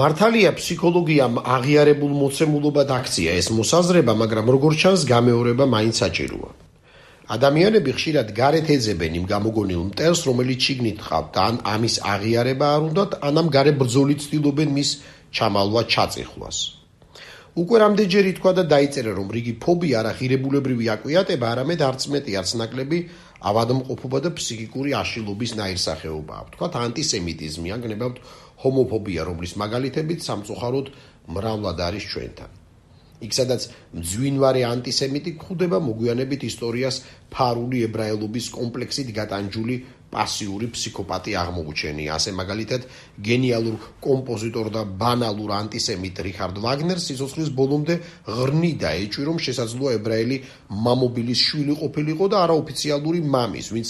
მართალია ფსიქოლოგიამ აღიარებულ მოცემულობად აქცია ეს მოსაზრება, მაგრამ როგორც ჩანს, გამეორება მაინც საჭიროა. ადამიანები ხშირად გარეთ ეძებენ იმ გამოგონილ მტერს, რომელიც შიგნით ყავთ და ან ამის აღიარება არ უნდათ, ანამ გარე ბრძოლით ცდილობენ მის ჩამალვა ჩაწიხვას. უკვე რამდენჯერი თქვა და დაიწერა, რომ რიგი ფობია არა ღირებულებრივი აკვიატება, არამედ არც მეტი, არც ნაკლები ავადმყოფობა და ფსიქიკური აშლილობის ნაირსახეობაა. თქვათ ანტისემიტიზმი, ან გნებავთ ჰომოფობია, რომლის მაგალითებით სამწუხაროდ მრავლად არის ჩვენთან. იქ სადაც მძვინვარე ანტისემიტი გვხვდება მოგვიანებით ისტორიას ფარული ებრაელობის კომპლექსით გატანჯული პასიური ფსიქოპატი აღმოუჩენია. ასე მაგალითად გენიალურ კომპოზიტორ და ბანალურ ანტისემიტ რიხარდ ვაგნერს სიცოცხლის ბოლომდე ღრნიდა ეჭვი, რომ შესაძლოა ებრაელი მამობილის შვილი ყოფილიყო და არაოფიციალური მამის, ვინც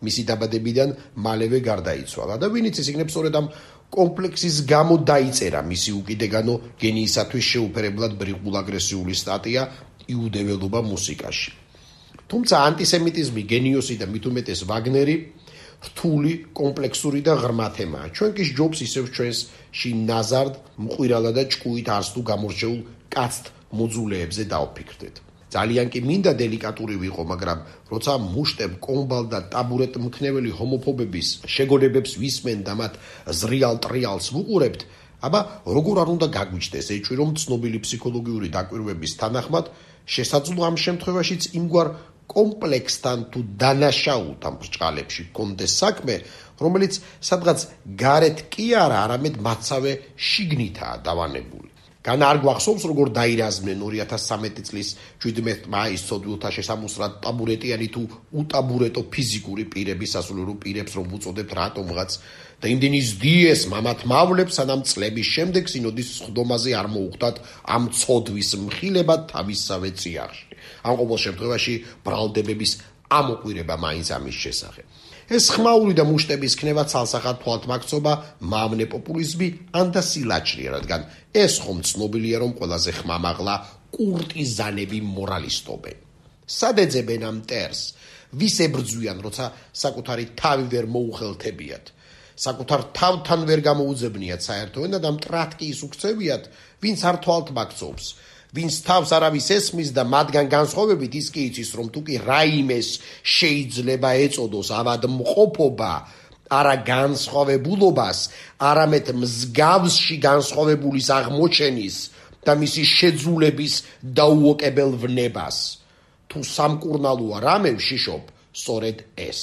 მისი დაბადებიდან მალევე გარდაიცვალა და ვინიც ის იქნებ სწორედ ამ კომპლექსის გამო დაიწერა მისი უკიდეგანო გენიისათვის შეუფერებლად ბრიყულ აგრესიული სტატია იუდეველობა მუსიკაში. თუმცა ანტისემიტიზმი, გენიოსი და მით უმეტეს ვაგნერი რთული, კომპლექსური და ღრმა თემაა. ჩვენ კი სჯობს ისევ ჩვენსში ნაზარდ, მყვირალა და ჭკუით არს თუ გამორჩეულ კაცთ მოძულეებზე დავფიქრდეთ. ძალიან კი მინდა დელიკატური ვიყო, მაგრამ როცა მუშტებ, კომბალ და ტაბურეტ მქნეველი ჰომოფობების შეგონებებს ვისმენ და მათ ზრიალ ტრიალს ვუყურებთ, აბა როგორ არ უნდა გაგვიჩნდეს ეჭვი, რომ ცნობილი ფსიქოლოგიური დაკვირვების თანახმად შესაძლოა ამ შემთხვევაშიც იმგვარ კომპლექსთან თუ დანაშაულთან ბრჭყალებში გქონდეს საქმე, რომელიც სადღაც გარეთ კი არა, არამედ მათსავე შიგნითაა დავანებული. გან არ გვახსოვს, როგორ დაირაზმნენ 2013 წლის 17 მაისს ცოდვილთა შესამოსრად ტაბურეტიანი თუ უტაბურეტო ფიზიკური პირების სასულიერო პირებს, რომ ვუწოდებთ რატომღაც და იმდენი ზდიეს მამათ მავლებს, სანამ წლების შემდეგ სინოდის სხდომაზე არ მოუხდათ ამ ცოდვის მხილება თავისსავე წიაღში. ამ ყოველ შემთხვევაში ბრალდებების ამოყვირება მაინც ამის შესახებ. ეს ხმაური და მუშტების ქნება ცალსახად თვალთმაქცობა, მავნე პოპულიზმი ან და სილაჩრია, რადგან ეს ხომ ცნობილია, რომ ყველაზე ხმამაღლა კურტიზანები მორალისტობენ. სად ეძებენ ამ მტერს? ვის ებრძვიან, როცა საკუთარი თავი ვერ მოუხელთებიათ? საკუთარ თავთან ვერ გამოუძებნიათ საერთოდ და მტრად კი ის უქცევიათ, ვინც არ თვალთმაქცობს, ვინც თავს არავის ესმის და მათგან განსხვავებით ის კი იცის, რომ თუ კი რაიმეს შეიძლება ეწოდოს ავადმყოფობა, არა განსხვავებულობას, არამედ მსგავსში განსხვავებულის აღმოჩენის და მისი შეძულების დაუოკებელ ვნებას. თუ სამკურნალოა რამე ვშიშობ, სწორედ ეს.